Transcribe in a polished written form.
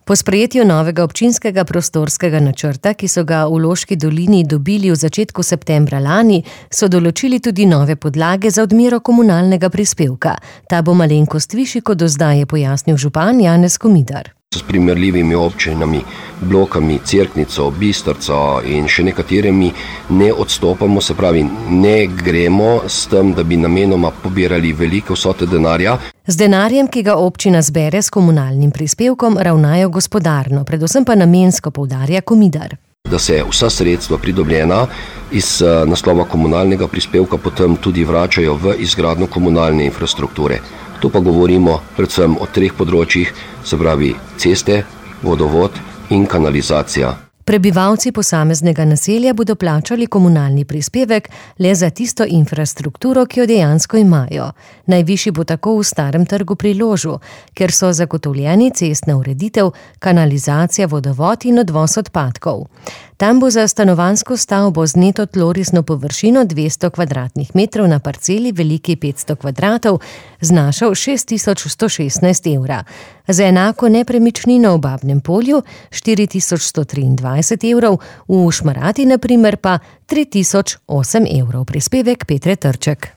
Po sprejetju novega občinskega prostorskega načrta, ki so ga v Loški dolini dobili v začetku septembra lani, so določili tudi nove podlage za odmero komunalnega prispevka. Ta bo malenkost višji kot do zdaj, je pojasnil župan Janez Komidar. S primerljivimi občinami, Blokami, Cerknico, Bistrico in še nekaterimi ne odstopamo, se pravi, ne gremo s tem, da bi namenoma pobirali velike vsote denarja. Z denarjem, ki ga občina zbere s komunalnim prispevkom, ravnajo gospodarno, predvsem pa namensko, poudarja Komidar. Da se vsa sredstva pridobljena iz naslova komunalnega prispevka potem tudi vračajo v izgradnjo komunalne infrastrukture. Tu pa govorimo predvsem o 3 področjih, se pravi ceste, vodovod in kanalizacija. Prebivalci posameznega naselja bodo plačali komunalni prispevek le za tisto infrastrukturo, ki jo dejansko imajo. Najvišji bo tako v Starem trgu pri Ložu, ker so zagotovljeni cestna ureditev, kanalizacija, vodovod in odvoz odpadkov. Tam bo za stanovanjsko stavbo z neto tlorisno površino 200 kvadratnih metrov na parceli veliki 500 kvadratov znašal 6116 evra. Za enako nepremičnino v Babnem Polju 4123 evrov, v Šmarati na primer pa 3008 evrov. Prispevek Petre Trček.